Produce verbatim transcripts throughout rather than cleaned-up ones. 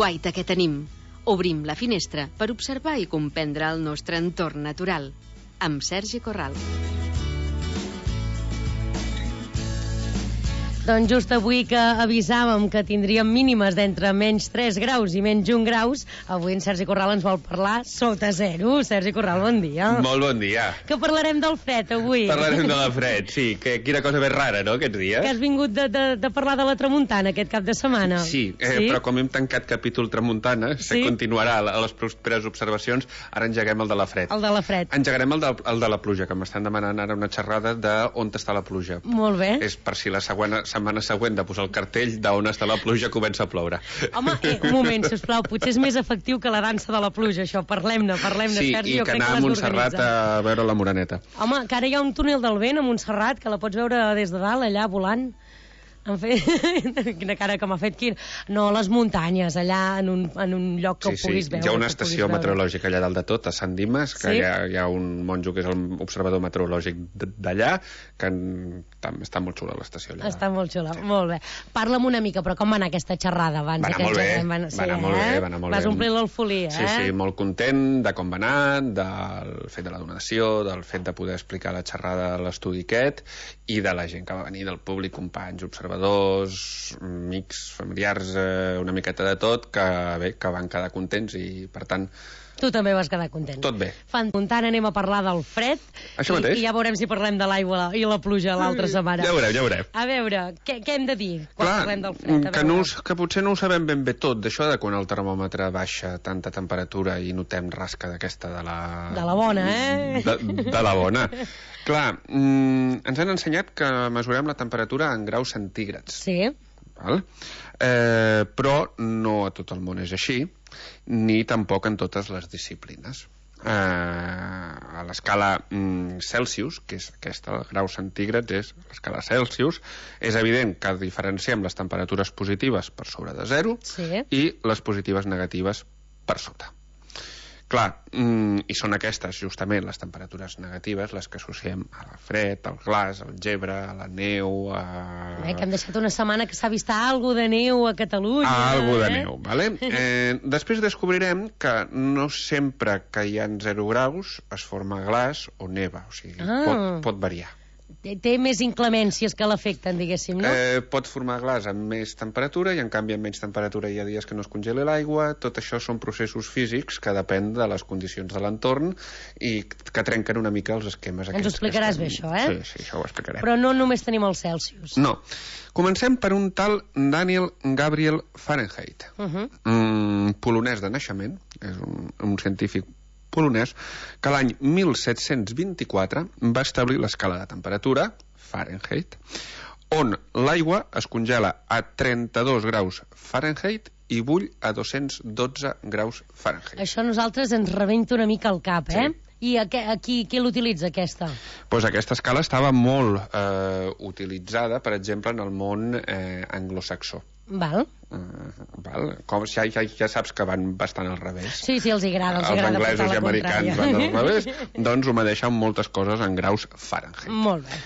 guaita que tenim. Obrim la finestra per observar i comprendre el nostre entorn natural. Amb Sergi Corral. Doncs just avui que avisàvem que tindríem mínimes d'entre menys tres graus i menys un graus, avui en Sergi Corral ens vol parlar sota zero. Sergi Corral, bon dia. Molt bon dia. Que parlarem del fred avui. Parlarem de la fred, sí. Que, quina cosa més rara, no, aquests dies? Que has vingut de, de, de parlar de la tramuntana aquest cap de setmana. Sí, eh, sí? Però com hem tancat capítol tramuntana, se sí? continuarà a les properes observacions, ara engeguem el de la fred. El de la fred. Engegarem el de, el de la pluja, que m'estan demanant ara una xerrada de on està la pluja. Molt bé. És per si la següent setmana següent de posar el cartell d'on està la pluja comença a ploure. Home, eh, un moment, sisplau, potser és més efectiu que la dansa de la pluja, això. Parlem-ne, parlem-ne, sí, Sergi. Sí, i que anar a Montserrat a veure la Moreneta. Home, que ara hi ha un túnel del vent a Montserrat, que la pots veure des de dalt, allà, volant. En fet, quina cara que m'ha fet Quir. No, les muntanyes, allà en un, en un lloc que sí, ho puguis sí. veure. Hi ha una estació meteorològica allà dalt de tot, a Sant Dimes, que sí? hi, ha, hi ha un monjo que és l'observador meteorològic d'allà, que en, està molt xula l'estació allà. Està molt xula, molt bé. Parla'm una mica, però com va anar aquesta xerrada abans? Va anar molt bé, va anar, sí, va anar molt eh? bé, va anar molt Vas bé. omplir l'alfolia, sí, eh? Sí, sí, molt content de com va anar, del fet de la donació, del fet de poder explicar la xerrada a l'estudi aquest, i de la gent que va venir, del públic, companys, observadors, amics, familiars, eh, una miqueta de tot, que bé, que van quedar contents i, per tant... Tu també vas quedar content. Tot bé. Fantastant, anem a parlar del fred. Això mateix. I, i ja veurem si parlem de l'aigua i la pluja l'altra setmana. Ja veurem, ja veurem. A veure, què, què hem de dir quan Clar, parlem del fred? Que, no, que potser no ho sabem ben bé tot, d'això de quan el termòmetre baixa tanta temperatura i notem rasca d'aquesta de la... De la bona, eh? De, de la bona. Clar, mm, ens han ensenyat que mesurem la temperatura en graus centígrads. Sí. Val? Eh, però no a tot el món és així, ni tampoc en totes les disciplines. Eh, a l'escala mm, Celsius, que és aquesta, el grau centígrads és l'escala Celsius, és evident que diferenciem les temperatures positives per sobre de zero, sí, i les positives negatives per sota. Clar, mm, i són aquestes, justament, les temperatures negatives, les que associem al fred, al glaç, al gebre, a la neu... A... Bé, que hem deixat una setmana que s'ha vist alguna de neu a Catalunya. A algo de eh? neu, vale? Eh, després descobrirem que no sempre que hi ha zero graus es forma glaç o neva, o sigui, ah. pot, pot variar. Té, té més inclemències que l'afecten, diguéssim, no? Eh, pot formar glaç amb més temperatura i en canvi amb menys temperatura hi ha dies que no es congela l'aigua. Tot això són processos físics que depèn de les condicions de l'entorn i que trenquen una mica els esquemes aquests. Ens ho explicaràs estem... bé, això, eh? Sí, sí, això ho explicarem. Però no només tenim els Celsius. No. Comencem per un tal Daniel Gabriel Fahrenheit, uh -huh. un polonès de naixement, és un, un científic polonès, que l'any mil set-cents vint-i-quatre va establir l'escala de temperatura, Fahrenheit, on l'aigua es congela a trenta-dos graus Fahrenheit i bull a dos-cents dotze graus Fahrenheit. Això a nosaltres ens rebenta una mica el cap, eh? Sí. I a, a qui, qui l'utilitza, aquesta? Pues aquesta escala estava molt eh, utilitzada, per exemple, en el món eh, anglosaxó. Val. Uh, val. Com, ja, ja, ja saps que van bastant al revés. Sí, sí, els agrada, els, els agrada anglesos i americans van al revés, doncs obedeixen moltes coses en graus Fahrenheit. Molt bé.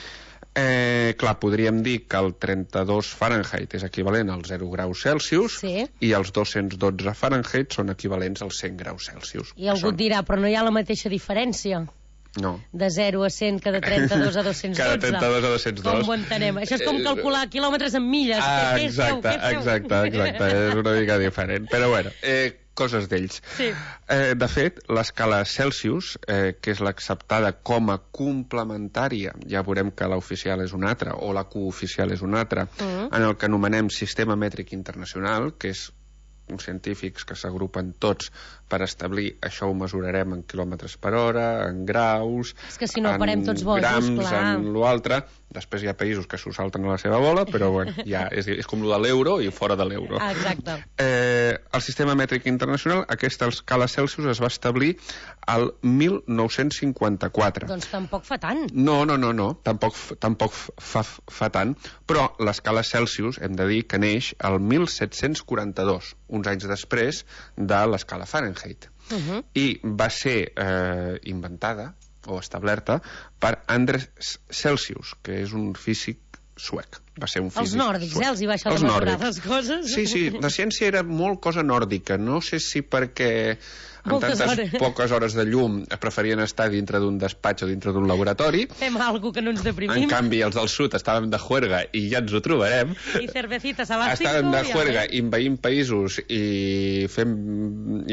Eh, clar, podríem dir que el trenta-dos Fahrenheit és equivalent als zero graus Celsius, sí, i els dos-cents dotze Fahrenheit són equivalents als cent graus Celsius. I algú són... et dirà, però no hi ha la mateixa diferència? No. De zero a cent que de trenta-dos a dos-cents dotze. Que de trenta-dos a dos-cents dos. Com ho entenem? Això és com calcular quilòmetres en milles. Ah, què, què exacte, feu, què feu? exacte, exacte. És una mica diferent. Però bueno, eh, coses d'ells. Sí. Eh, de fet, l'escala Celsius, eh, que és l'acceptada com a complementària, ja veurem que l'oficial és una altra, o la cooficial és una altra, uh-huh. en el que anomenem Sistema Mètric Internacional, que és uns científics que s'agrupen tots per establir, això ho mesurarem en quilòmetres per hora, en graus, és que si no parem tots bojos, grams, clar. en l'altre. Després hi ha països que s'ho salten a la seva bola, però bueno, ja és, és com el de l'euro i fora de l'euro. Ah, exacte. Eh, el Sistema Mètric Internacional, aquesta escala Celsius es va establir al mil nou-cents cinquanta-quatre. Doncs tampoc fa tant. No, no, no, no, tampoc, tampoc fa, fa tant, però l'escala Celsius, hem de dir que neix al mil set-cents quaranta-dos, uns anys després de l'escala Fahrenheit. Uh-huh. I va ser eh, inventada o establerta per Andres Celsius, que és un físic suec. va ser un físic... Els nòrdics, eh? Els hi va això de mesurar les coses. Sí, sí, la ciència era molt cosa nòrdica. No sé si perquè amb Moltes tantes hores. poques hores de llum preferien estar dintre d'un despatx o dintre d'un laboratori. Fem alguna que no ens En deprimim. canvi, els del sud estàvem de juerga i ja ens ho trobarem. I cervecitas a l'àstico. Estàvem de juerga invaint països i fem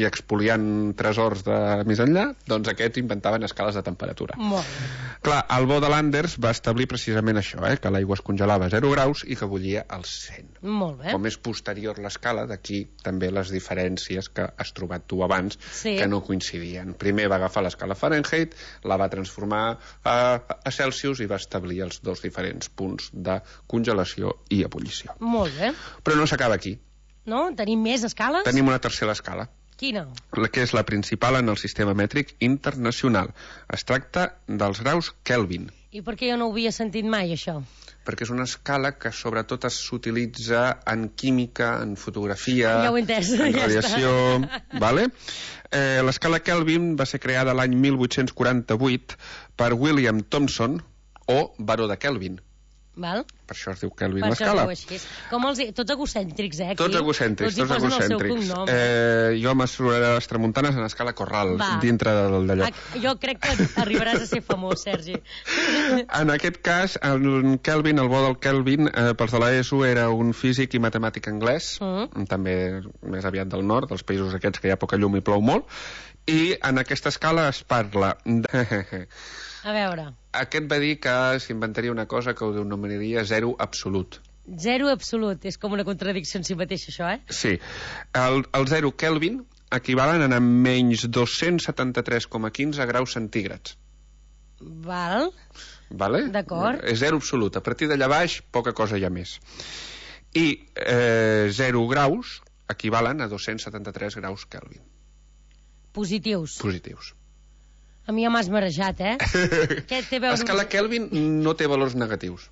i expoliant tresors de més enllà, doncs aquests inventaven escales de temperatura. Molt bé. Clar, el bo de Landers va establir precisament això, eh, que l'aigua es congelava a zero graus i que bullia als cent. Molt bé. Com és posterior l'escala, d'aquí també les diferències que has trobat tu abans, Sí. que no coincidien. Primer va agafar l'escala Fahrenheit, la va transformar a, a Celsius i va establir els dos diferents punts de congelació i ebullició. Molt bé. Però no s'acaba aquí. No? Tenim més escales? Tenim una tercera escala, Quina? la que és la principal en el sistema mètric internacional. Es tracta dels graus Kelvin, I per què jo no ho havia sentit mai, això? perquè és una escala que sobretot s'utilitza en química, en fotografia, Ja ho he entès, en ja radiació... Vale? Eh, l'escala Kelvin va ser creada l'any mil vuit-cents quaranta-vuit per William Thomson, o baró de Kelvin. Val? Per això es diu Kelvin Per això es l'escala. diu així. Com els... Tots egocèntrics, eh, aquí? Tots egocèntrics, Tots hi tots posen el seu egocèntrics. cognom. Eh, jo mesuraré les tramuntanes en escala Corral, Va. dintre del- d'allò. Ah, jo crec que arribaràs a ser famós, Sergi. En aquest cas, en Kelvin, el bo del Kelvin, eh, pels de l'ESO, era un físic i matemàtic anglès, Mm. també més aviat del nord, dels països aquests que hi ha poca llum i plou molt, i en aquesta escala es parla de... A veure, Aquest va dir que s'inventaria una cosa que ho denominaria zero absolut. zero absolut. És com una contradicció en si mateix, això, eh? Sí. El, el zero Kelvin equivalen a menys dos-cents setanta-tres coma quinze graus centígrads. Val? Vale? D'acord. És zero absolut. A partir d'allà baix, poca cosa hi ha més. I eh, zero graus equivalen a dos-cents setanta-tres graus Kelvin. Positius. Positius. A mi ja m'has marejat, eh? Què té a veure... L'escala Kelvin no té valors negatius.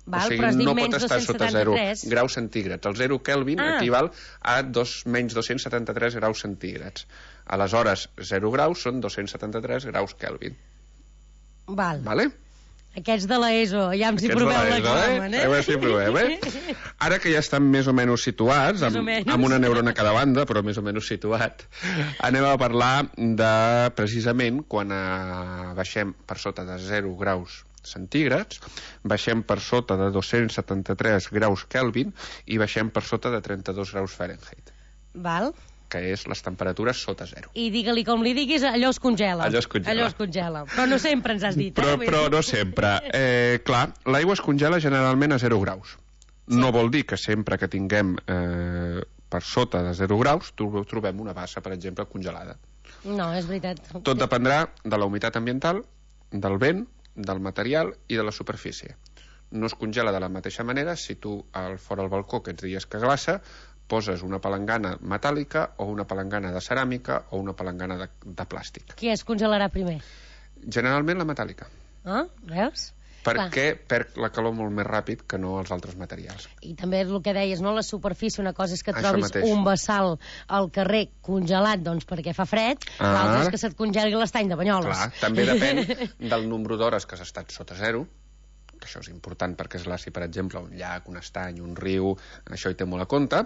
Val, o sigui, però has dit no menys pot estar sota zero dos-cents setanta-tres. graus centígrads. El zero Kelvin Ah. equival a dos, menys dos-cents setanta-tres graus centígrads. Aleshores, zero graus són dos-cents setanta-tres graus Kelvin. Val. Vale? Aquests de l'ESO, ja em s'hi Aquests de proveu l'ESO, l'examen, eh? eh? A veure si provem, eh? Ara que ja estan més o menys situats, Més o amb, menys. amb una neurona a cada banda, però més o menys situat, anem a parlar de, precisament, quan eh, baixem per sota de zero graus centígrads, baixem per sota de dos-cents setanta-tres graus Kelvin i baixem per sota de trenta-dos graus Fahrenheit, Val? que és les temperatures sota zero. I digue-li com li diguis, allò es congela. Allò es congela. Allò es congela. Però no sempre ens has dit, Però, eh? Vull però dir- no sempre. Eh, clar, l'aigua es congela generalment a zero graus. Sí. No vol dir que sempre que tinguem eh, per sota de zero graus tro- trobem una bassa, per exemple, congelada. No, és veritat. Tot dependrà de la humitat ambiental, del vent, del material i de la superfície. No es congela de la mateixa manera si tu al fora al balcó aquests dies que glaça poses una palangana metàl·lica o una palangana de ceràmica o una palangana de, de plàstic. Qui es congelarà primer? Generalment la metàl·lica, Ah, veus? perquè perd la calor molt més ràpid que no els altres materials. I també és el que deies, no? La superfície, una cosa és que Això trobis mateix. un bassal al carrer congelat, doncs perquè fa fred, Ah. l'altre és que se't congeli l'estany de Banyoles. Clar, també depèn del nombre d'hores que has estat sota zero, que això és important perquè és si, per exemple, un llac, un estany, un riu, això hi té molt a compte,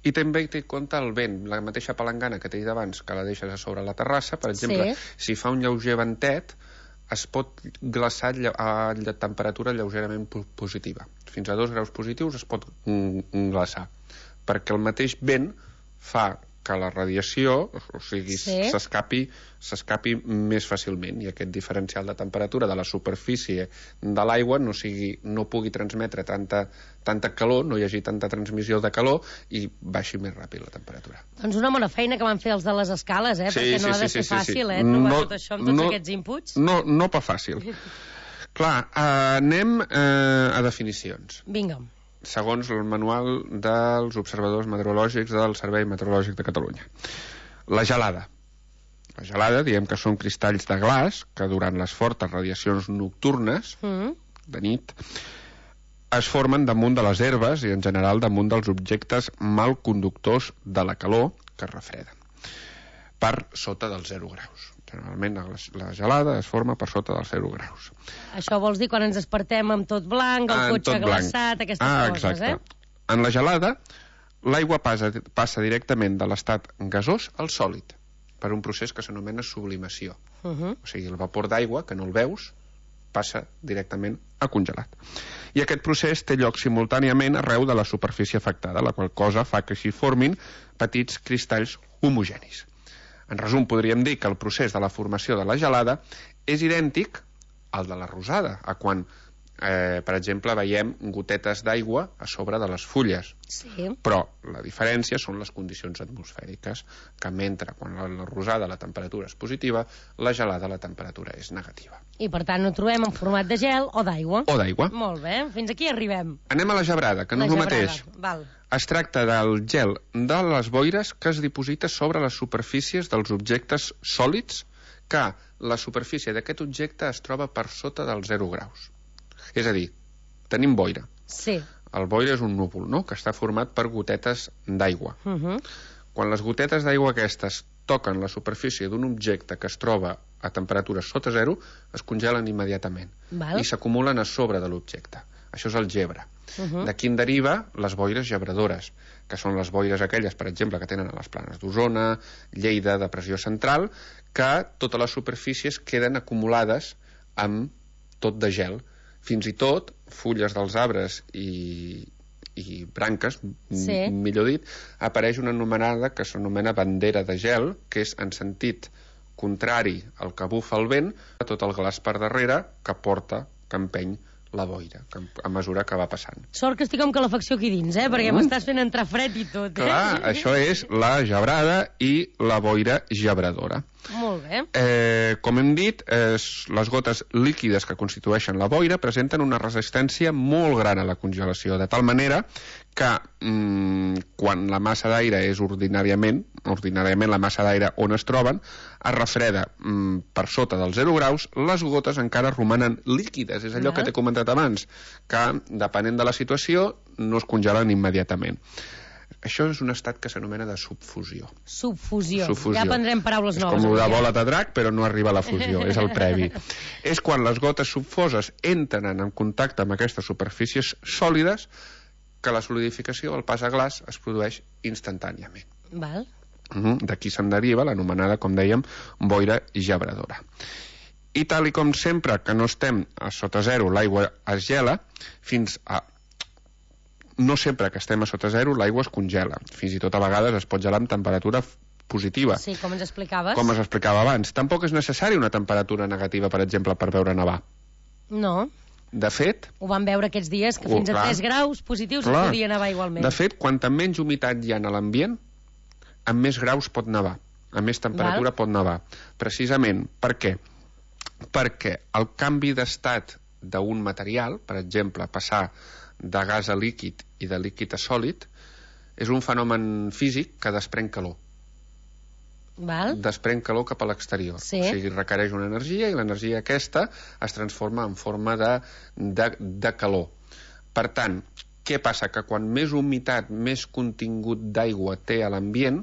i també hi té en compte el vent, la mateixa palangana que t'he dit abans, que la deixes a sobre la terrassa, per exemple, Sí. si fa un lleuger ventet, es pot glaçar lle- a lle- temperatura lleugerament po- positiva. Fins a dos graus positius es pot mm, mm, glaçar, perquè el mateix vent fa que la radiació, o sigui, Sí. s'escapi s'escapi més fàcilment i aquest diferencial de temperatura de la superfície de l'aigua no sigui no pugui transmetre tanta, tanta calor, no hi hagi tanta transmissió de calor i baixi més ràpid la temperatura. Doncs una bona feina que van fer els de les escales, eh? Sí, Perquè no sí, ha de sí, ser sí, sí, fàcil, sí. eh? Trobar No- tot això amb tots no- aquests inputs. No, no pa fàcil. Clar, eh, anem eh, a definicions. Vinga. Segons el manual dels observadors meteorològics del Servei Meteorològic de Catalunya. La gelada. La gelada, diem que són cristalls de glaç que durant les fortes radiacions nocturnes, Mm. de nit, es formen damunt de les herbes i en general damunt dels objectes mal conductors de la calor que es refreden per sota dels zero graus. Generalment la gelada es forma per sota dels zero graus. Això vols dir quan ens despertem amb tot blanc, el cotxe glaçat, aquestes ah, coses, exacte. eh? En la gelada, l'aigua passa, passa directament de l'estat gasós al sòlid, per un procés que s'anomena sublimació. Uh -huh. O sigui, el vapor d'aigua, que no el veus, passa directament a congelat. I aquest procés té lloc simultàniament arreu de la superfície afectada, la qual cosa fa que s'hi formin petits cristalls homogenis. En resum, podríem dir que el procés de la formació de la gelada és idèntic al de la rosada, a quan, eh, per exemple, veiem gotetes d'aigua a sobre de les fulles. Sí. Però la diferència són les condicions atmosfèriques, que mentre quan la, la rosada la temperatura és positiva, la gelada la temperatura és negativa. I per tant ho trobem en format de gel o d'aigua. O d'aigua. Molt bé, fins aquí arribem. Anem a la gebrada, que no és el mateix. Val. Es tracta del gel de les boires que es diposita sobre les superfícies dels objectes sòlids, que la superfície d'aquest objecte es troba per sota dels zero graus. És a dir, tenim boira. Sí. El boira és un núvol, no?, que està format per gotetes d'aigua. Uh -huh. Quan les gotetes d'aigua aquestes toquen la superfície d'un objecte que es troba a temperatures sota zero, es congelen immediatament. Val. I s'acumulen a sobre de l'objecte. Això és el gebre. Uh -huh. D'aquí en deriva les boires gebradores, que són les boires aquelles, per exemple, que tenen a les planes d'Osona, Lleida, Depressió Central, que totes les superfícies queden acumulades amb tot de gel. Fins i tot fulles dels arbres i, i branques, sí. millor dit, apareix una anomenada que s'anomena bandera de gel, que és en sentit contrari al que bufa el vent, tot el glaç per darrere que porta, que empeny la boira, que a mesura que va passant. Sort que estic amb calefacció aquí dins, eh? Perquè mm. m'estàs fent entrar fred i tot, eh? Clar, això és la gebrada i la boira gebradora. Molt bé. Eh, com hem dit, eh, les gotes líquides que constitueixen la boira presenten una resistència molt gran a la congelació, de tal manera que mm, quan la massa d'aire és ordinàriament, ordinàriament la massa d'aire on es troben, es refreda mm, per sota dels zero graus, les gotes encara romanen líquides. És allò ah. que t'he comentat abans, que depenent de la situació no es congelen immediatament. Això és un estat que s'anomena de subfusió. Subfusió. subfusió. Ja aprendrem paraules és noves. És com el de bola de drac, però no arriba a la fusió, és el previ. És quan les gotes subfoses entren en contacte amb aquestes superfícies sòlides que la solidificació, el pas a glaç, es produeix instantàniament. Val. Uh-huh. D'aquí se'n deriva l'anomenada, com dèiem, boira gebradora. I tal i com sempre que no estem a sota zero, l'aigua es gela, fins a no sempre que estem a sota zero l'aigua es congela, fins i tot a vegades es pot gelar amb temperatura positiva. Sí, com ens explicaves. Com es explicava abans. Tampoc és necessari una temperatura negativa, per exemple, per veure nevar. No. De fet... Ho vam veure aquests dies, que oh, fins clar, a tres graus positius clar. es podia nevar igualment. De fet, quanta menys humitat hi ha a l'ambient, amb més graus pot nevar, amb més temperatura Val. pot nevar. Precisament, per què? Perquè el canvi d'estat d'un material, per exemple, passar de gas a líquid i de líquid a sòlid, és un fenomen físic que desprèn calor. Val. Desprèn calor cap a l'exterior. Sí. O sigui, requereix una energia i l'energia aquesta es transforma en forma de, de, de calor. Per tant, què passa? Que quan més humitat, més contingut d'aigua té a l'ambient,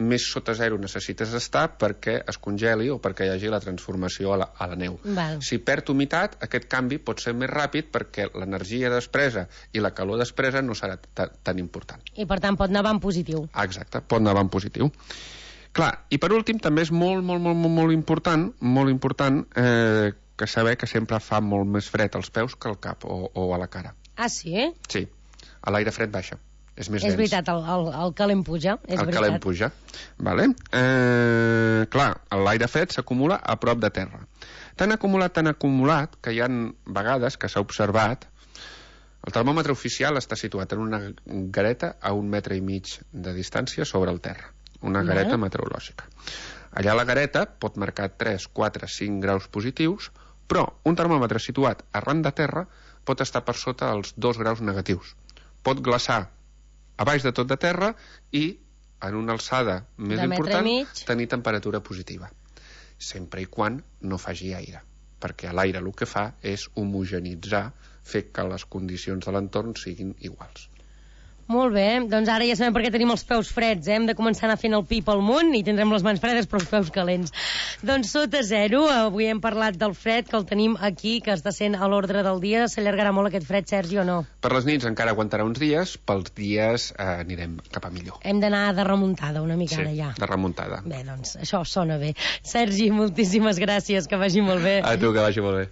més sota zero necessites estar perquè es congeli o perquè hi hagi la transformació a la, a la neu. Val. Si perd humitat, aquest canvi pot ser més ràpid perquè l'energia despresa i la calor despresa no serà tan important. I per tant pot nevar en positiu. Ah, exacte, pot nevar en positiu. Clar, i per últim també és molt, molt, molt, molt, molt important, molt important eh, que saber que sempre fa molt més fred als peus que al cap o, o a la cara. Ah, sí? Eh? Sí, a l'aire fred baixa. És més és dens. veritat, el, el, el calent puja. És el veritat. calent puja. Vale? Eh, clar, l'aire fred s'acumula a prop de terra. Tan acumulat, tan acumulat, que hi ha vegades que s'ha observat el termòmetre oficial està situat en una gareta a un metre i mig de distància sobre el terra. Una gareta Val. meteorològica. Allà la gareta pot marcar tres, quatre, cinc graus positius, però un termòmetre situat arran de terra pot estar per sota dels dos graus negatius. Pot glaçar a baix de tot de terra i en una alçada més de important mig. tenir temperatura positiva, sempre i quan no faci aire, perquè l'aire el que fa és homogenitzar, fer que les condicions de l'entorn siguin iguals. Molt bé, doncs ara ja sabem per què tenim els peus freds, eh? Hem de començar a anar fent el pi pel món i tindrem les mans fredes però els peus calents. Doncs sota zero, avui hem parlat del fred, que el tenim aquí, que està sent a l'ordre del dia. S'allargarà molt aquest fred, Sergi, o no? Per les nits encara aguantarà uns dies, pels dies eh, anirem cap a millor. Hem d'anar de remuntada una mica sí, ara ja. de remuntada. Bé, doncs això sona bé. Sergi, moltíssimes gràcies, que vagi molt bé. A tu, que vagi molt bé.